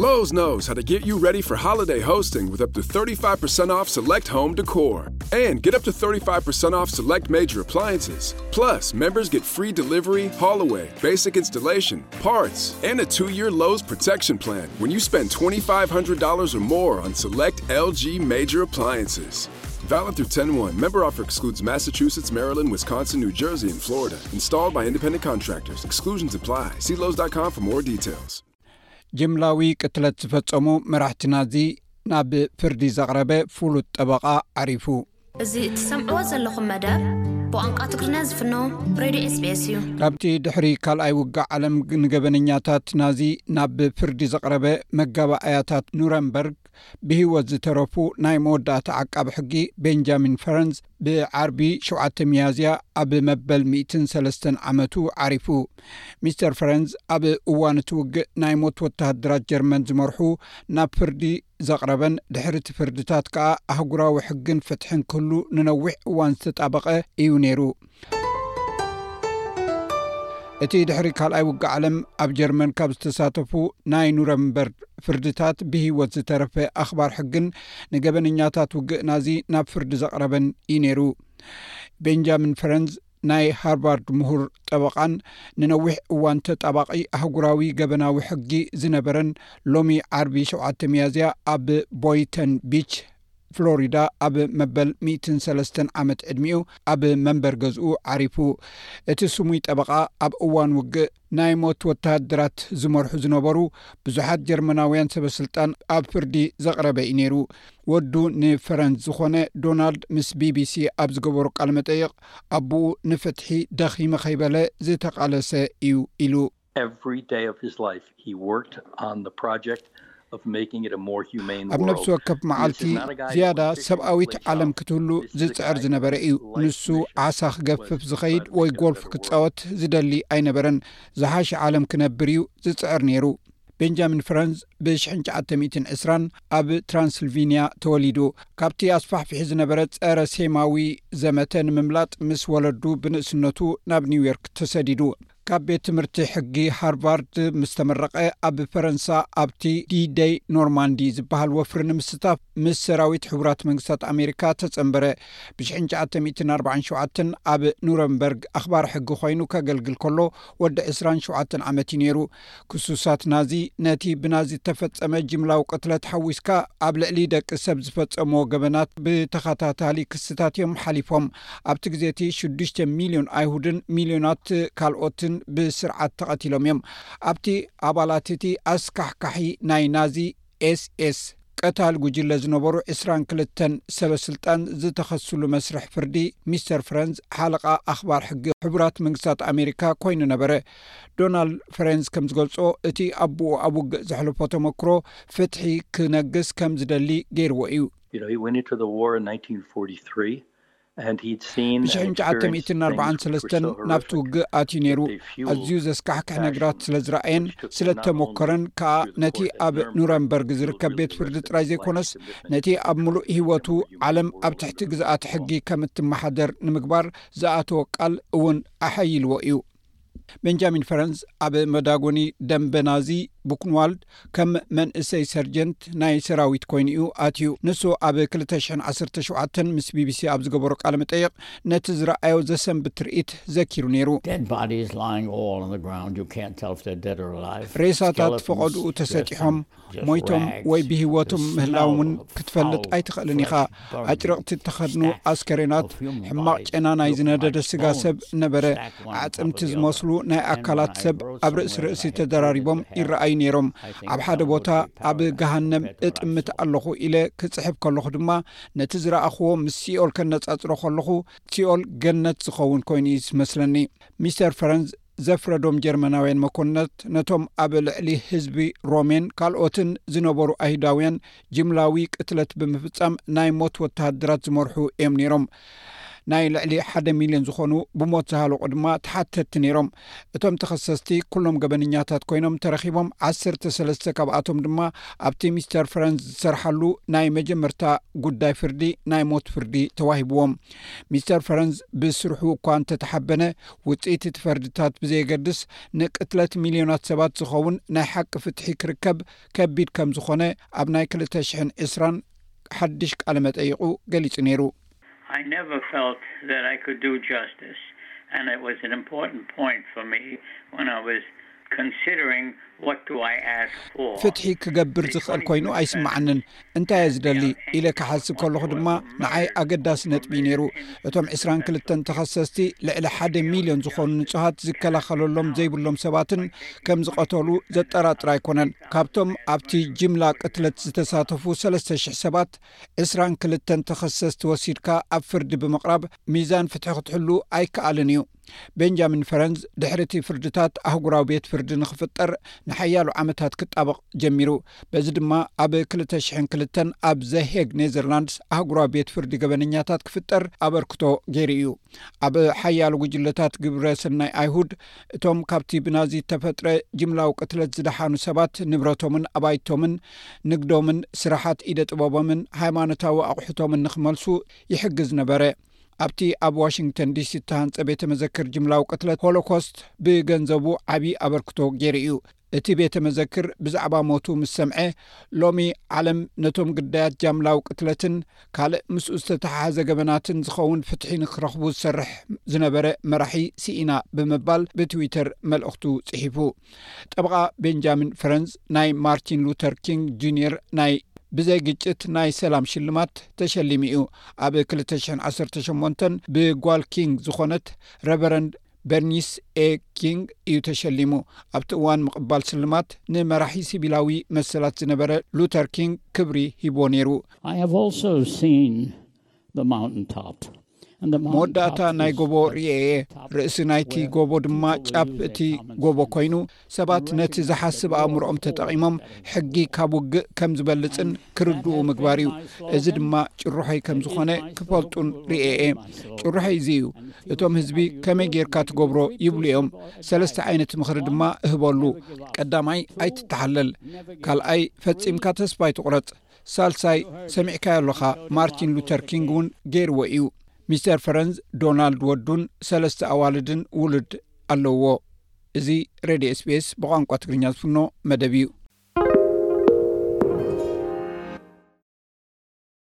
Lowe's knows how to get you ready for holiday hosting with up to thirty-five percent off select home decor. And get up to thirty-five percent off select major appliances. Plus, members get free delivery, haul away, basic installation, parts, and a two year Lowe's protection plan when you spend twenty-five hundred dollars or more on select L G major appliances. Valid through ten one. Member offer excludes Massachusetts, Maryland, Wisconsin, New Jersey, and Florida. Installed by independent contractors. Exclusions apply. See Lowe's dot com for more details. ጅምላዊ ቅትለት ዝፈጸሙ መራሕቲ ናዚ ናብ ፍርዲ ዘቕረበ ፍሉጥ ጠበቓ ዓሪፉ። እዚ እትሰምዕዎ ዘለኹም መደብ ብቋንቋ ትግርኛ ዝፍኖ ሬድዮ SBS እዩ። ካብቲ ድሕሪ ካልኣይ ውግእ ዓለም ንገበነኛታት ናዚ ናብ ፍርዲ ዘቕረበ መጋባእያታት ኑረምበርግ ብህይወት ዝተረፉ ናይ መወዳእታ ዓቃቢ ሕጊ ቤንጃሚን ፈረንዝ ብዓርቢ ሸውዓተ ሚያዝያ ኣብ መበል ሚእትን ሰለስተን ዓመቱ ዓሪፉ። ሚስተር ፈረንዝ ኣብ እዋን እቲ ውግእ ናይ ሞት ወተሃደራት ጀርመን ዝመርሑ ናብ ፍርዲ ዘቕረበን ድሕሪ እቲ ፍርድታት ከኣ ኣህጉራዊ ሕግን ፍትሕን ክህሉ ንነዊሕ እዋን ዝተጣበቐ እዩ ነይሩ። እቲ ድሕሪ ካልኣይ ውግእ ዓለም ኣብ ጀርመን ካብ ዝተሳተፉ ናይ ኑረምበርግ ፍርድታት ብህይወት ዝተረፈ ኣኽባር ሕግን ንገበነኛታት ውግእ ናዚ ናብ ፍርዲ ዘቕረበን እዩ ነይሩ። ቤንጃሚን ፈረንዝ ናይ ሃርቫርድ ምሁር ጠበቓን ንነዊሕ እዋን ተጣባቒ ኣህጉራዊ ገበናዊ ሕጊ ዝነበረን ሎሚ ዓርቢ ሸውዓተ ሚያዝያ ኣብ ቦይተን ቢች ፍሎሪዳ ኣብ መበል ሚእትን ሰለስተን ዓመት ዕድሚኡ ኣብ መንበር ገዝኡ ዓሪፉ። እቲ ስሙይ ጠበቓ ኣብ እዋን ውግእ ናይ ሞት ወተሃደራት ዝመርሑ ዝነበሩ ብዙሓት ጀርመናውያን ሰበስልጣን ኣብ ፍርዲ ዘቕረበ እዩ ነይሩ። ወዱ ንፈረንስ ዝኾነ ዶናልድ ምስ ቢቢሲ ኣብ ዝገበሮ ቃለ መጠይቕ ኣቦኡ ንፍትሒ ደኺመ ከይበለ ዝተቓለሰ እዩ ኢሉ። Every day of his life he worked on the project of making it a more humane world. ኣብ ነፍሲ ወከፍ መዓልቲ ዝያዳ ሰብኣዊት ዓለም ክትህሉ ዝጽዕር ዝነበረ እዩ። ንሱ ዓሳ ክገፍፍ ዝኸይድ ወይ ጎልፍ ክጻወት ዝደሊ ኣይነበረን። ዝሓሸ ዓለም ክነብር እዩ ዝጽዕር ነይሩ። ቤንጃሚን ፍረንዝ ብ ሽሕን ትሽዓተ ሚእትን ዕስራን ኣብ ትራንስልቪንያ ተወሊዱ። ካብቲ ኣስፋሕፊሒ ዝነበረ ጸረ ሴማዊ ዘመተ ንምምላጥ ምስ ወለዱ ብንእስነቱ ናብ ኒውዮርክ ተሰዲዱ። ካብ ቤት ትምህርቲ ሕጊ ሃርቫርድ ምስ ተመረቐ ኣብ ፈረንሳ ኣብቲ ዲደይ ኖርማንዲ ዝበሃል ወፍሪ ንምስታፍ ምስ ሰራዊት ሕቡራት መንግስታት ኣሜሪካ ተጸንበረ። ብ ሽሕን ትሽዓተ ሚእትን ኣርባዓን ሸውዓተን ኣብ ኑረምበርግ ኣኽባር ሕጊ ኮይኑ ከገልግል ከሎ ወዲ ዕስራን ሸውዓተን ዓመት እዩ ነይሩ። ክሱሳት ናዚ ነቲ ብናዚ እተፈጸመ ጅምላዊ ቅትለት ሓዊስካ ኣብ ልዕሊ ደቂ ሰብ ዝፈጸምዎ ገበናት ብተኸታታሊ ክስታት እዮም ሓሊፎም። ኣብቲ ግዜ እቲ ሽዱሽተ ሚልዮን ኣይሁድን ሚልዮናት ካልኦትን ብስርዓት ተቐቲሎም እዮም። ኣብቲ ኣባላት እቲ ኣስካሕካሒ ናይ ናዚ ኤስኤስ ቀታሊ ጉጅለ ዝነበሩ ዕስራን ክልተን ሰበ ስልጣን ዝተኸስሉ መስርሕ ፍርዲ ሚስተር ፍረንዝ ሓለቓ ኣኽባር ሕጊ ሕቡራት መንግስታት ኣሜሪካ ኮይኑ ነበረ። ዶናልድ ፍረንዝ ከም ዝገልጾ እቲ ኣቦኡ ኣብ ውግእ ዘሕለፎ ተመክሮ ፍትሒ ክነግስ ከም ዝደሊ ገይርዎ እዩ። You know, he went into the war in nineteen forty-three. And he'd seen and experienced things which were so ብሽሕን ትሽዓተ ሚእትን ኣርባዓን ሰለስተን ናብቲ ውግእ ኣትዩ ነይሩ። ኣዝዩ ዘስካሕክሕ ነገራት ስለ ዝረኣየን ስለ ተመኮረን ከኣ ነቲ ኣብ ኑረምበርግ ዝርከብ ቤት ፍርዲ ጥራይ ዘይኮነስ ነቲ ኣብ ምሉእ ህይወቱ ዓለም ኣብ ትሕቲ ግዝኣት ሕጊ ከም እትመሓደር ንምግባር ዝኣተወ ቃል እውን ኣሐይልዎ እዩ። ቤንጃሚን ፈረንስ ኣብ መዳጎኒ ደንበ ናዚ ቡክንዋልድ ከም መንእሰይ ሰርጀንት ናይ ሰራዊት ኮይኑ እዩ ኣትዩ። ንሱ ኣብ ክልተ ሽሕን ዓሰርተ ሸውዓተን ምስ ቢቢሲ ኣብ ዝገበሮ ቃለ መጠይቕ ነቲ ዝረኣዮ ዘሰንብድ ትርኢት ዘኪሩ ነይሩ። Dead bodies lying all on the ground. You can't tell if they're dead or alive. ሬሳታት Skeletons ፈቐድኡ dressed ተሰጢሖም in just ሞይቶም rags. ወይ ብህይወቶም The ምህላዎም smell እውን of ክትፈልጥ foul, ኣይትኽእልን ኢኻ። fresh, burned, ኣጭርቕቲ እተኸድኑ stacked ኣስከሬናት፣ of human ሕማቕ bodies ጨና ናይ looked ዝነደደ like ስጋ ሰብ bones ነበረ። stacked one on top ኣዕጽምቲ of the ዝመስሉ other. ናይ And ኣካላት when I ሰብ wrote ኣብ ርእሲ somewhere ርእሲ that I hated ተደራሪቦም the hell, ይረኣዩ ነይሮም። I think ኣብ ሓደ someone ቦታ would be ኣብ proud of that ገሃነም compared to what I እጥምት saw. ኣለኹ ኢለ ክጽሕፍ ከለኹ ድማ ነቲ ዝረኣኽዎ ምስ ሲኦል ከነጻጽሮ ከለኹ፣ ሲኦል ገነት ዝኸውን ኮይኑ እዩ ዝመስለኒ። ሚስተር ፈረንዝ ዘፍረዶም ጀርመናውያን መኮንናት ነቶም ኣብ ልዕሊ ህዝቢ ሮሜን ካልኦትን ዝነበሩ ኣይሁዳውያን ጅምላዊ ቅትለት ብምፍጻም ናይ ሞት ወተሃደራት ዝመርሑ እዮም ነይሮም። ናይ ልዕሊ ሓደ ሚልዮን ዝኾኑ ብሞት ዝሃለቑ ድማ ተሓተትቲ ነይሮም። እቶም ተኸሰስቲ ኩሎም ገበነኛታት ኮይኖም ተረኺቦም፣ ዓሰርተ ሰለስተ ካብኣቶም ድማ ኣብቲ ሚስተር ፈረንዝ ዝሰርሓሉ ናይ መጀመርታ ጉዳይ ፍርዲ ናይ ሞት ፍርዲ ተዋሂብዎም። ሚስተር ፈረንዝ ብስርሑ እኳ እንተተሓበነ፣ ውፅኢት እቲ ፈርድታት ብዘየገድስ ንቅትለት ሚልዮናት ሰባት ዝኸውን ናይ ሓቂ ፍትሒ ክርከብ ከቢድ ከም ዝኾነ ኣብ ናይ ክልተ ሽሕን ዕስራን ሓድሽ ቃለ መጠይቑ ገሊጹ ነይሩ። I never felt that I could do justice, and it was an important point for me when I was considering what do I ask for. ፍትሒ ክገብር ዝኽእል ኮይኑ ኣይስምዓንን። እንታይ እየ ዝደሊ ኢለ ክሓስብ ከለኹ ድማ ንዓይ ኣገዳሲ ነጥቢ እዩ ነይሩ። እቶም ዕስራን ክልተን ተኸሰስቲ ልዕሊ ሓደ ሚልዮን ዝኾኑ ንጹሃት ዝከላኸለሎም ዘይብሎም ሰባትን ከም ዝቐተሉ ዘጠራጥር ኣይኮነን። ካብቶም ኣብቲ ጅምላ ቅትለት ዝተሳተፉ ሰለስተ ሽሕ ሰባት፣ ዕስራን ክልተን ተኸሰስቲ ወሲድካ ኣብ ፍርዲ ብምቕራብ ሚዛን ፍትሒ ክትሕሉ ኣይከኣልን እዩ። ቤንጃሚን ፈረንዝ ድሕሪ እቲ ፍርድታት ኣህጉራዊ ቤት ፍርዲ ንኽፍጠር ንሓያሎ ዓመታት ክጣበቕ ጀሚሩ። በዚ ድማ ኣብ ክልተ ሽሕን ክልተን ኣብ ዘሄግ ኔዘርላንድስ ኣህጉራዊ ቤት ፍርዲ ገበነኛታት ክፍጠር ኣበርክቶ ገይሩ እዩ። ኣብ ሓያሎ ጉጅለታት ግብረ ሰናይ ኣይሁድ፣ እቶም ካብቲ ብናዚ ተፈጥረ ጅምላዊ ቅትለት ዝደሓኑ ሰባት ንብረቶምን ኣባይቶምን ንግዶምን ስራሓት ኢደ ጥበቦምን ሃይማኖታዊ ኣቑሑቶምን ንኽመልሱ ይሕግዝ ነበረ። ኣብቲ ኣብ ዋሽንግተን ዲሲ እተሃንጸ ቤተ መዘክር ጅምላዊ ቅትለት ሆሎኮስት ብገንዘቡ ዓቢ ኣበርክቶ ገይሩ እዩ። እቲ ቤተ መዘክር ብዛዕባ ሞቱ ምስ ሰምዐ፣ ሎሚ ዓለም ነቶም ግዳያት ጃምላዊ ቅትለትን ካልእ ምስኡ ዝተተሓሓዘ ገበናትን ዝኸውን ፍትሒ ንክረኽቡ ዝሰርሕ ዝነበረ መራሒ ስኢና ብምባል ብትዊተር መልእኽቱ ጽሒፉ። ጠበቓ ቤንጃሚን ፈረንዝ ናይ ማርቲን ሉተር ኪንግ ጁኒየር ናይ ብዘይ ግጭት ናይ ሰላም ሽልማት ተሸሊሙ እዩ። ኣብ ክልተ ሽሕን ዓሰርተ ሸሞንተን ብጓል ኪንግ ዝኾነት ረቨረንድ በርኒስ ኤ ኪንግ እዩ ተሸሊሙ። ኣብቲ እዋን ምቕባል ስልማት ንመራሒ ሲቪላዊ መሰላት ዝነበረ ሉተር ኪንግ ክብሪ ሂብዎ ነይሩ። I have also seen the mountaintop. And the መወዳእታ mountaintop ናይ is ጎቦ the ርኤ እየ። top ርእሲ ናይቲ where ጎቦ ድማ truly ጫፍ they እቲ come and ጎቦ speak ኮይኑ ሰባት and ነቲ recognize ዝሓስብ the ኣእምሮኦም moral ተጠቒሞም force that ሕጊ ካብ ውግእ ከም ዝበልጽን ክርድኡ ምግባር እዩ። እዚ ድማ ጭርሖይ ከም ዝኾነ ክፈልጡን ርእየ እየ። ጭርሖይ እዚ እዩ። እቶም ህዝቢ ከመይ ጌርካ ትገብሮ ይብሉ እዮም። ሰለስተ ዓይነት ምኽሪ ድማ እህበሉ። ቀዳማይ ኣይትተሓለል። ካልኣይ ፈጺምካ ተስፋ ኣይትቑረጽ። ሳልሳይ ሰሚዕካዮ ኣለኻ፣ ማርቲን ሉተር ኪንግ እውን ገይርዎ እዩ። ሚስተር ፈረንዝ ዶናልድ ወዱን ሰለስተ ኣዋልድን ውሉድ ኣለዎ። እዚ ሬድዮ ኤስቢኤስ ብቋንቋ ትግርኛ ዝፍኖ መደብ እዩ።